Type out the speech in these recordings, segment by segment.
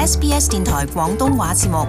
SBS 電台廣東話節目。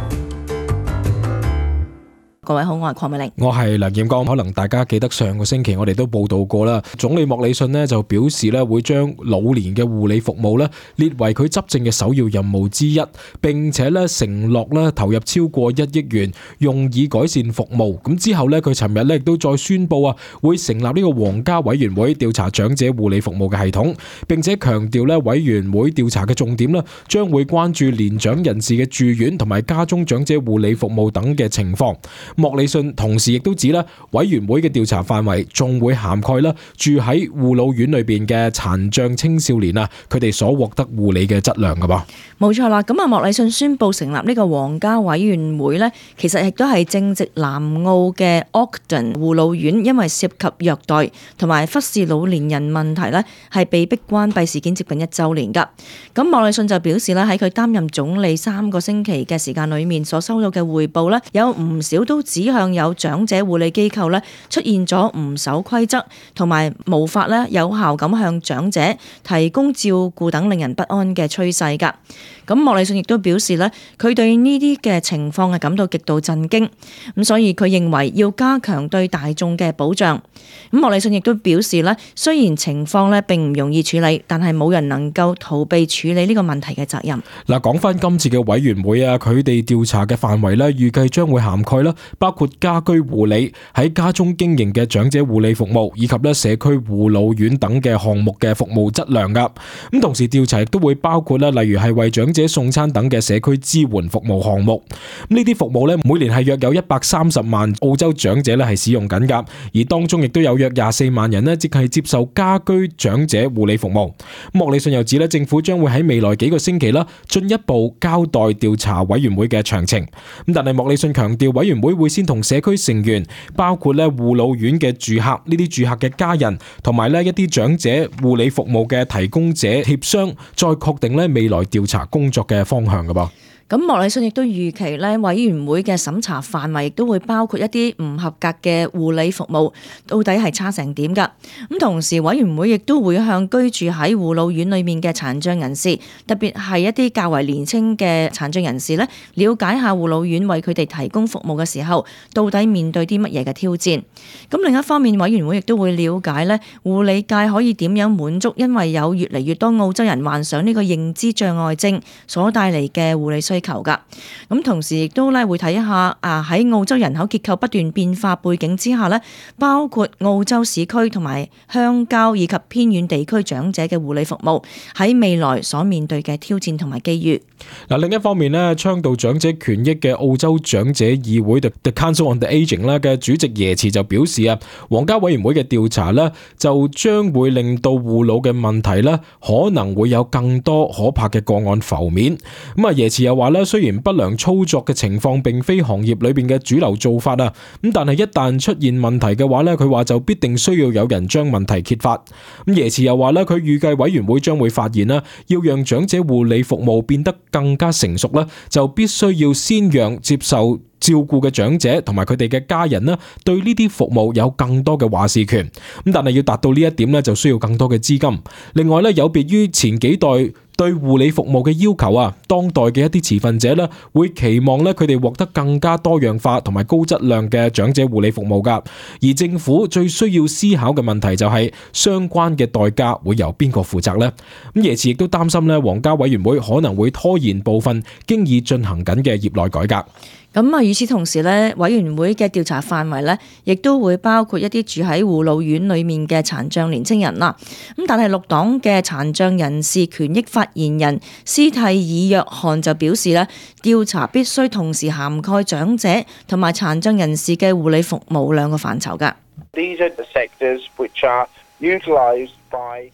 各位好，我係鄺美玲，我係梁劍剛。可能大家記得上個星期我哋都報道過啦，總理莫里遜呢就表示咧會將老年嘅護理服務咧列為佢執政嘅首要任務之一，並且咧承諾咧投入超過1億元用以改善服務。咁之後咧佢尋日咧亦都再宣布會成立呢個皇家委員會調查長者護理服務嘅系統，並且強調咧委員會調查嘅重點咧將會關注年長人士嘅住院同埋家中長者護理服務等嘅情況。莫里遜同時亦都指委員會嘅調查範圍仲會涵蓋住喺護老院裏邊嘅殘障青少年佢哋所獲得護理嘅質量㗎噃。冇錯啦，咁莫里遜宣布成立呢個皇家委員會呢，其實亦都係正值南澳嘅 Ogden 護老院因為涉及虐待同埋忽視老年人問題呢，係被逼關閉事件接近1週年㗎。咁莫里遜就表示呢，喺佢擔任總理3個星期嘅時間裏面所收到嘅匯報呢，有唔少都指向有長者護理機構呢出現咗唔守規則同埋無法呢有效咁向長者提供照顧等令人不安嘅趨勢㗎。咁莫里遜亦都表示呢，佢對呢啲嘅情況係感到極度震驚，咁所以佢認為要加強對大眾嘅保障。咁莫里遜亦都表示呢，雖然情況呢並唔容易處理，但係冇人能夠逃避處理呢個問題嘅責任。嗱，講翻今次嘅委員會佢哋調查嘅範圍預計將會涵蓋包括家居護理、喺家中經營嘅長者護理服務，以及社區護老院等嘅項目嘅服務質量噶。咁同時調查亦都會包括例如係為長者送餐等嘅社區支援服務項目。呢啲服務每年係約有130萬澳洲長者係使用緊噶，而當中亦都有約24萬人即係接受家居長者護理服務。莫里遜又指政府將會喺未來幾個星期進一步交代調查委員會嘅詳情。咁但係莫里遜強調，委員會會先同社區成員，包括護老院嘅住客、呢啲住客嘅家人，同埋一啲長者護理服務嘅提供者協商，再確定未來調查工作嘅方向㗎噃。咁莫里遜亦都預期委員會嘅審查範圍亦都會包括一啲唔合格嘅護理服務，到底係差成點㗎？咁同時委員會亦都會向居住喺護老院裏面嘅殘障人士，特別係一啲較為年輕嘅殘障人士了解下護老院為佢哋提供服務嘅時候，到底面對啲乜嘢嘅挑戰。咁另一方面，委員會亦都會了解護理界可以點樣滿足因為有越嚟越多澳洲人患上呢個認知障礙症所帶嚟嘅護理需求噶。咁同時亦都會睇下喺澳洲人口結構不斷變化背景之下包括澳洲市區同埋鄉郊以及偏遠地區長者嘅護理服務喺未來所面對嘅挑戰同埋機遇。另一方面倡導長者權益嘅澳洲長者議會 The Council on the Aging 嘅主席耶茨就表示皇家委員會嘅調查就將會令到護老嘅問題可能會有更多可怕嘅個案浮面。咁耶茨又話雖然不良操作嘅情況並非行業裏邊嘅主流做法咁但係一旦出現問題嘅話佢話就必定需要有人將問題揭發。咁耶茨又話佢預計委員會將會發現要讓長者護理服務變得更加成熟就必須要先讓接受照顧嘅長者同埋佢哋嘅家人對呢啲服務有更多嘅話事權。咁但係要達到呢一點就需要更多嘅資金。另外有別於前幾代對護理服務嘅要求當代嘅一啲持份者會期望佢哋獲得更加多樣化同埋高質量嘅長者護理服務噶。而政府最需要思考嘅問題就係相關嘅代價會由邊個負責呢？咁耶茨亦都擔心皇家委員會可能會拖延部分經已進行緊嘅業內改革。咁與此同時委員會嘅調查範圍亦都會包括一啲住喺護老院裏面嘅殘障年青人啦。咁但係綠黨嘅殘障人士權益發言人斯蒂爾約翰就表示調查必須同時涵蓋長者同埋殘障人士嘅護理服務兩個範疇㗎。These are the sectors which are utilized by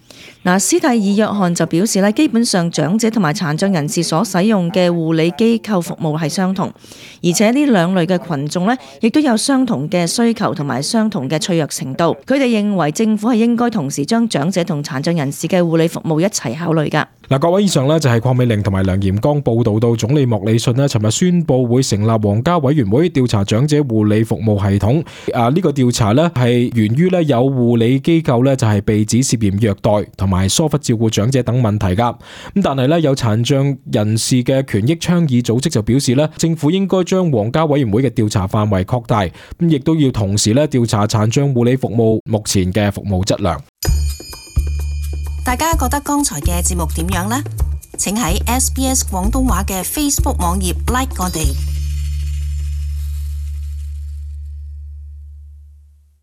斯蒂爾約翰就表示基本上長者同埋殘障人士所使用嘅護理機構服務係相同，而且呢兩類嘅群眾亦都有相同嘅需求同埋相同嘅脆弱程度。佢哋認為政府係應該同時將長者同殘障人士嘅護理服務一齊考慮㗎。各位，以上就係鄺美玲同埋梁炎剛報道到總理莫里遜尋日宣布會成立皇家委員會調查長者護理服務系統。呢個調查係源於有護理機構就係被指涉嫌嫌虐待同埋疏忽照顧長者等問題㗎。咁但係咧，有殘障人士嘅權益倡議組織就表示咧，政府應該將皇家委員會嘅調查範圍擴大，咁亦都要同時咧調查殘障護理服務目前嘅服務質量。大家覺得剛才嘅節目點樣呢？請喺SBS 廣東話嘅 Facebook 網頁 like 我哋。